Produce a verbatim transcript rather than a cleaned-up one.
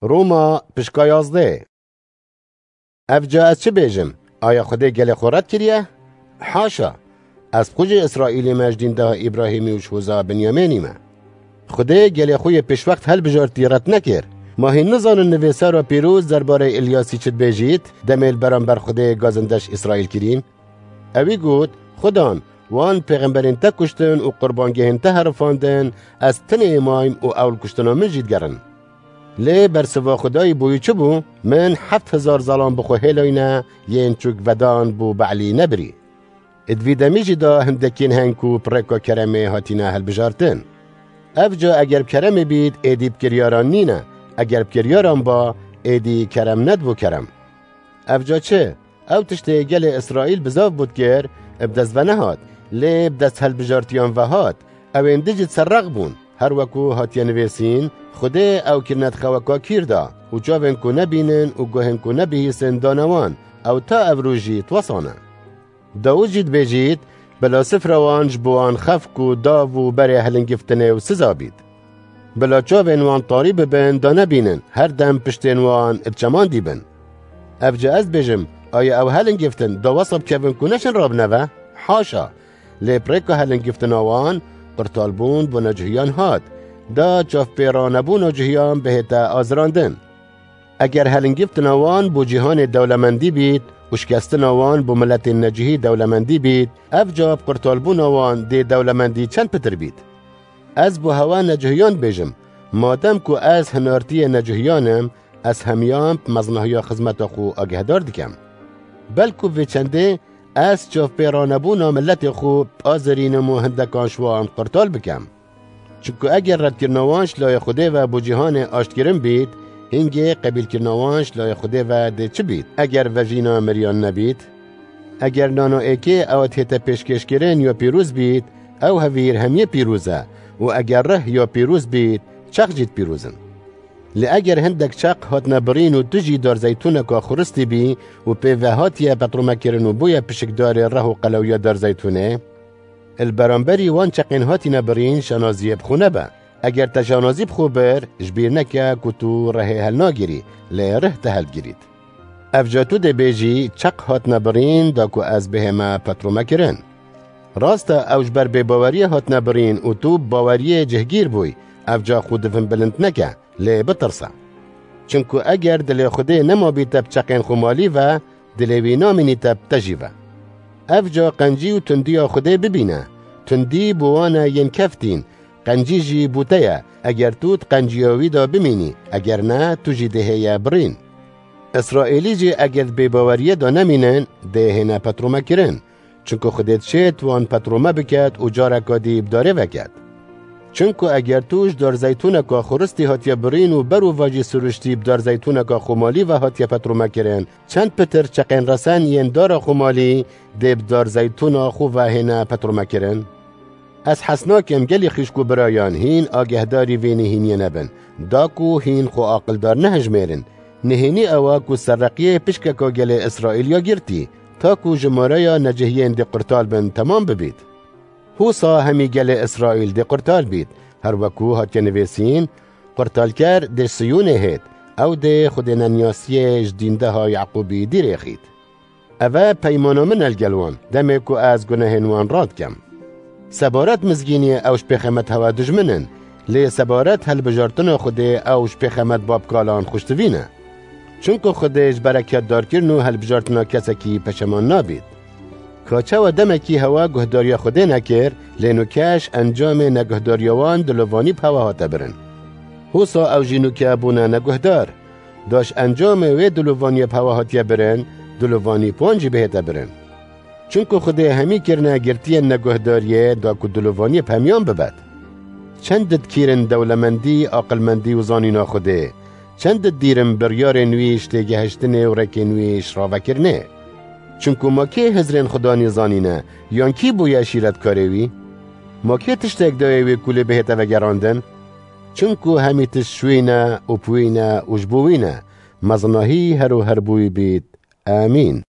Roma pişka yazdeh. Evca ez çi bêjim? Aya Xwedê gelê xwe red kiriye? Haşa! Ez bi xwe jî Îsraîlî me, ji dîndeha Îbrahîmî û ji hoza Binyamênî me. Xwedê gelê xwe yê pêşwext helbijartî red nekir. Ma hîn nizanin nivîsara pîroz derbarê Îlyasî çi dibêjît, demê li beramber Xwedê gazinde ji Îsraîl kirîn? Ewî got, Xudan, wan pêxemberên te kuştin û qurbangehên te herifandin, ez tinê mayim û ew li kuştina min jî digerin. Lê bersiva Xwedayî bo wî çi bû? Min heft hezar zalan bi xwe hêlayne, yên çûk vedan bo Be'lî nebirî. Ê di vî demî jî de hindekîn hene ku bi rêka keremê hatine hilbijartin. Evca eger bi keremê bît, êdî bi kiryaran nîne, eger bi kiryaran ba, êdî kerem nedibû kerem. Evca çi? Ew tiştê gelê Îsraîl bizav bû dikir, bi dest ve nehat, lê bi dest hilbijartiyan ve hat. Ew ên di jî di ser rex bûn. Her weku hatiye nivîsîn, Xwedê ew kirine di xeweka kîr de û çavên ku nebînin û guhên ku nebihîsin dane wan. Ew ta evrû jî di wesa ne. Dawûd jî dibêjît, Bila sifra wan ji bo wan xefk û dav û berê hilingiftinê û siza bît. Bila çavên wan tarî bibin, da nebînin, her dem piştên wan di çemandî bin. Evca ez dibêjim, aya ew hilingiftin da wesa bikevin ku neşin rabine ve? Haşa! Lê bi rêka hilingiftina wan, qurtalbûn bo necuhiyan hat. Da çavpêranebûna cuhiyan bihête azirandin. Eger hilingiftina wan bo cîhanê dewlemendî bît û şikestina wan bo miletên necuhî dewlemendî bît, evca bi qurtalbûna wan dê dewlemendî çend pitir bît? Ez bo hewa necuhiyan dibêjim, madem ku ez hinartiyê necuhiyan im, ez hemiyan bi mezinahiya xizmeta xwe agehdar dikim. Belku vê çendê ez çavpêranebûna miletê xwe biazirînim û hindekan ji wan qurtal bikim. Çimku eger redkirina wan ji layê Xwedê ve bo cîhanê aştkirin bît, hingê qebîlkirina wan ji layê Xwedê ve dê çi bît, eger vejîna miriyan nebît? Eger nana êkê ew dihête pêşkêşkirin ya pîroz bît, ew hevîr hemiyê pîroz e û eger rih ya pîroz bît, çeq jî di pîroz in. Lê eger hindek çeq hatine birîn û tu jî darzeytûneka xuristî bî û pê ve hatiye petromekirin û bûye pişikdarê reh û qelewiya darzeytûnê, li beramberî wan çeqên hatine birîn şanaziyê bi xwe nebe. Eger te şanazî bi xwe bir, ji bîr neke ku tu rehê helnagirî, lê rih te heldigirît. Evca tu dê bêjî, çeq hatine birîn da ku ez bihême petromekirin. Rast e, ew ji ber bêbaweriyê hatine birîn û tu bi baweriyê cihgîr bûyî, evca xwe di vin bilind neke, lê bitirse. Çimku eger dilê Xwedê nemabîte bi çeqên xwe malî ve, dilê wî namînî te bi te jî ve. Evca qencî û tundiya Xwedê bibîne. Tundî bo wan e yên keftîn, qencî jî bo te ye. Eger tu di qenciya wî de bimînî, eger ne, tu jî dê hêye birîn. Îsraîlî jî eger di bêbaweriyê de nemînin, dê hêne petromekirin. Çimku Xwedê dişêt wan petrome biket û careka dî bi darê veket. Çimku eger tu ji darzeytûneka xuristî hatiye birîn û ber û vajî siruştî bi darzeytûneka xwemalî ve hatiye petromekirin, çend pitir çeqên resen yên dara xwemalî dê bi darzeytûna xwe ve hêne petromekirin? Ez hez nakim gelî xîşk û birayan hîn agehdarî vê nihîniyê nebin, da ku hîn xwe aqildar nehejmêrin. Nihênî ew e ku serreqiyê pişkeka gelê Îsraîl ya girtî, ta ku jimareya necihiyên dê qurtal bin temam bibît. Husa hemî gelê Îsraîl dê qurtal bît, her weku hatiye nivîsîn, Qurtalker dê ji Siyûnê hêt, ew dê Xwedê neniyasiyê ji dîndeha Yaqûbî dîrêxît. Ev e peymana min e li gel wan, demê ku ez gunehên wan radikim. Sebaret mizgîniyê ew ji pêxemet hewa dijmin in, lê sebaret helbijartina Xwedê ew ji pêxemet babkalan xweştivî ne. Çimku Xwedê ji bereketdarkirin û helbijartina kesekî peşeman nabît. Ka çawa demekî hewa guhdariya Xwedê nekir, lê nûke ji encamê neguhdariya wan dilovanî bi hewa hate birin. Husa ew jî nûke bûne neguhdar. Da ji encamê wê dilovaniyê bi hewa hatiye birin, dilovanî bi wan jî bihête birin. Çimku Xwedê hemî kirine girtiyên neguhdariyê da ku dilovaniyê bi hemiyan bibet. Çend dikîrin dewlemendî, aqilmendî û zanîna Xwedê. Çend didîrim biryarên wî ji têgehiştinê û rêkên wî ji ravekirinê. Çimku ma kê hizrên Xudanî zanîne, yan kî bûye şîretkarê wî? Ma kê tiştek dayê wê ku lê bihête vegerandin? Çimku hemî tişt ji wî ne û bi wî ne û ji bo wî ne. Mezinahî her û her bo wî bît. Amîn.